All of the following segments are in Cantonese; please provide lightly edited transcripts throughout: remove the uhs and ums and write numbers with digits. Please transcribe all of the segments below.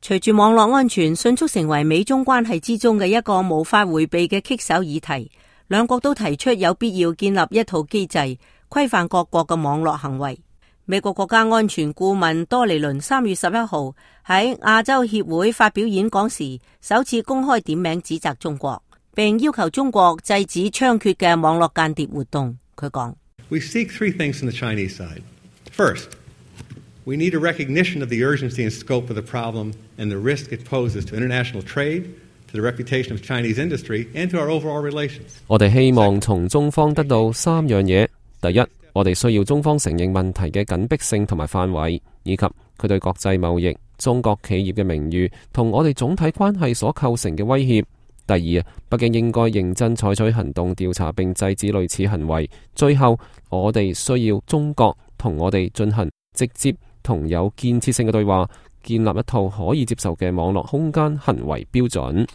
隨住網絡安全迅速成為美中關係之中嘅一個無法迴避嘅棘手議題，兩國都提出有必要建立一套機制，規範各國嘅網絡行為。美國國家安全顧問多尼倫3月11號喺亞洲協會發表演講時，首次公開點名指責中國，並要求中國制止猖獗嘅網絡間諜活動。佢講：We seek three things from the Chinese side. First, we need a recognition of the urgency and scope of the problem and the risk it poses to international trade, to the reputation of Chinese industry, and to our overall relations. 我哋希望從中方得到三樣嘢。第一，我哋需要中方承認問題嘅緊迫性同埋範圍，以及佢對國際貿易、中國企業嘅名譽同我哋總體關係所構成嘅威脅。第二，北京應該認真採取行動調查並制止類似行為。最後，我哋需要中國同我哋進行直接同有建設性嘅對話，建立一套可以接受嘅網絡空間行為標準。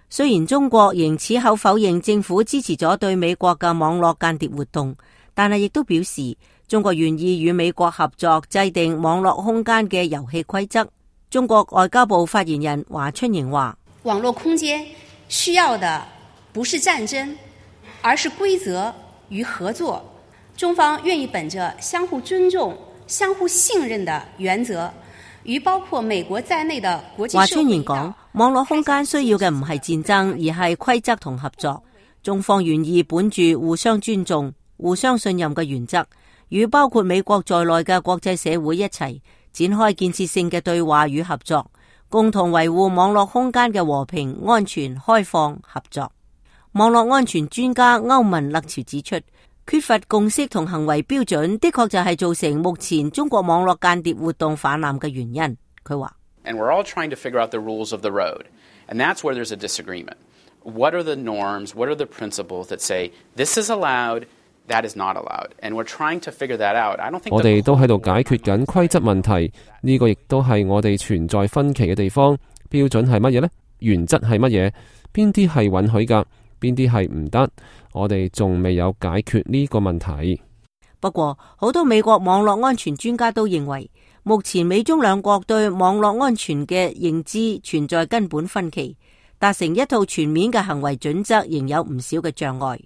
雖然中國仍矢口否認政府支持咗對美國嘅網絡間諜活動，但係亦都表示中國願意與美國合作制定網絡空間嘅遊戲規則。中國外交部發言人華春瑩話：網絡空間需要的不是戰爭，而是規則與合作。中方願意本着相互尊重、相互信任的原則，與包括美國在內的國際社會。華春瑩講，網絡空間需要嘅唔係戰爭，而係規則同合作。中方願意本住互相尊重、互相信任嘅原則，與包括美國在內嘅國際社會一齊展開建設性嘅對話與合作，共同維護網絡空間嘅和平、安全、開放、合作。網絡安全專家歐文勒朝指出，缺乏共識同行為標準的確就係造成目前中國網絡間諜活動泛濫嘅原因。佢話：And we're all trying to figure out the rules of the road, and that's where there's a disagreement. What are the norms? What are the principles that say this is allowed, that is not allowed? And we're trying to figure that out. I don't think 我哋都喺度解決緊規則問題，呢個亦都係我哋存在分歧嘅地方。標準係乜嘢呢？原則係乜嘢？邊啲係允許㗎？邊啲係唔得？我哋仲未有解決呢個問題。不過，好多美國網絡安全專家都認為，目前美中兩國對網絡安全嘅認知存在根本分歧，達成一套全面嘅行為準則仍有唔少嘅障礙。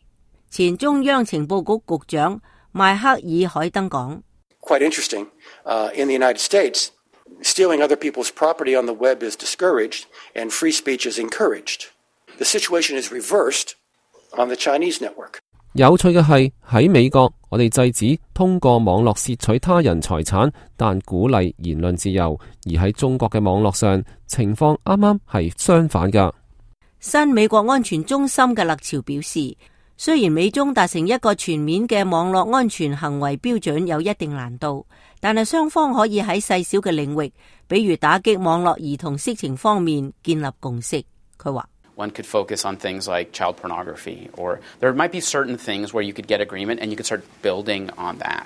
前中央情報局局長邁克爾海登講：Quite interesting. In the United States, stealing other people's property on the web is discouraged, and free speech is encouraged. The situation is reversed on the Chinese network. 有趣嘅係喺美國，我哋制止通過網絡竊取他人財產，但鼓勵言論自由；而喺中國嘅網絡上，情況啱啱係相反㗎。新美國安全中心嘅勒朝表示，雖然美中達成一個全面嘅網絡安全行為標準有一定難度，但係雙方可以喺細小嘅領域，比如打擊網絡兒童色情方面建立共識。佢話：One could focus on things like child pornography, or there might be certain things where you could get agreement and you could start building on that.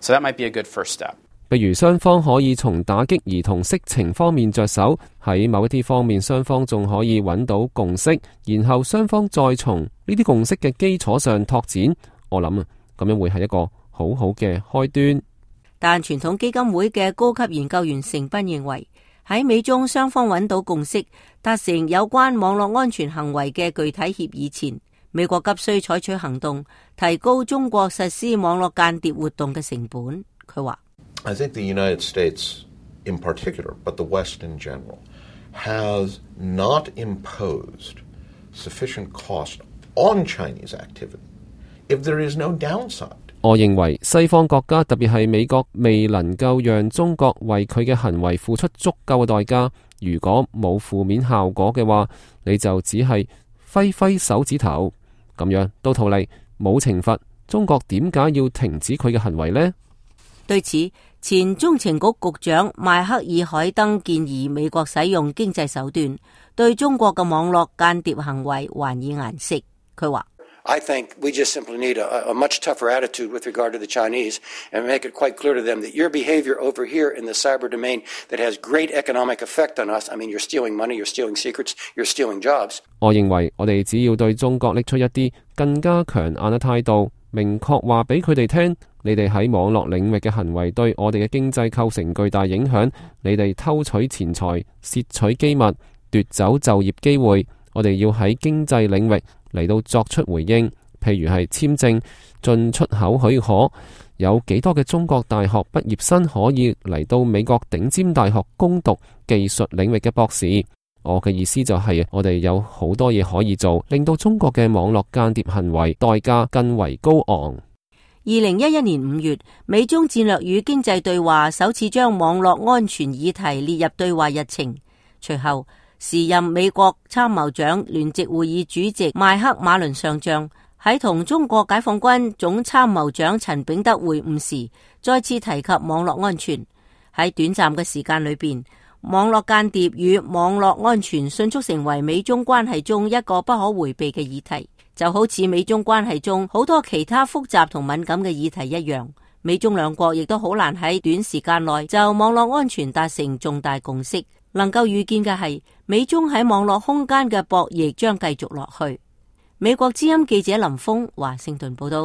So that might be a good first step. 譬如雙方可以從打擊兒童色情方面着手，喺某一啲方面雙方仲可以揾到共識，然後雙方再從呢啲共識嘅基礎上拓展。我諗咁樣會係一個好好嘅開端。但傳統基金會嘅高級研究員成斌認為，喺美中雙方揾到共識，達成有關網絡安全行為嘅具體協議前，美國急需採取行動，提高中國實施網絡間諜活動嘅成本。佢話：I think the United States in particular, but the West in general, has not imposed sufficient cost on Chinese activity if there is no downside. 我認為西方國家，特別係美國，未能夠讓中國為佢嘅行為付出足夠嘅代價。如果冇負面效果嘅話，你就只係揮揮手指頭，咁樣到頭嚟冇懲罰，中國點解要停止佢嘅行為呢？對此，前中情局局長邁克爾海登建議美國使用經濟手段對中國嘅網絡間諜行為還以顏色。佢話：I think we just simply need a much tougher attitude with regard to the Chinese and make it quite clear to them that your behavior over here in the cyber domain that has great economic effect on us, I mean, you're stealing money, you're stealing secrets, you're stealing jobs. 我認為我哋只要對中國拎出一啲更加強硬嘅態度，明確話俾佢哋聽，你哋喺網絡領域嘅行為對我哋嘅經濟構成巨大影響，你哋偷取錢財、竊取機密、奪走就業機會，我哋要喺經濟領域嚟到作出回應，譬如係簽證、進出口許可，有幾多嘅中國大學畢業生可以嚟到美國頂尖大學攻讀技術領域嘅博士。我嘅意思就係，我哋有好多嘢可以做，令到中國嘅網絡間諜行為代價更為高昂。2011年5月，美中戰略與經濟對話首次將網絡安全議題列入對話日程。隨後，時任美國參謀長聯席會議主席邁克馬倫上將喺同中國解放軍總參謀長陳炳德會晤時，再次提及網絡安全。喺短暫嘅時間裏邊，網絡間諜與網絡安全迅速成為美中關係中一個不可回避嘅議題，就好似美中關係中好多其他複雜同敏感嘅議題一樣。美中兩國亦都好難喺短時間內就網絡安全達成重大共識。能夠預見嘅係，美中喺網絡空間嘅博弈將繼續落去。美國之音記者林峰華盛頓報道。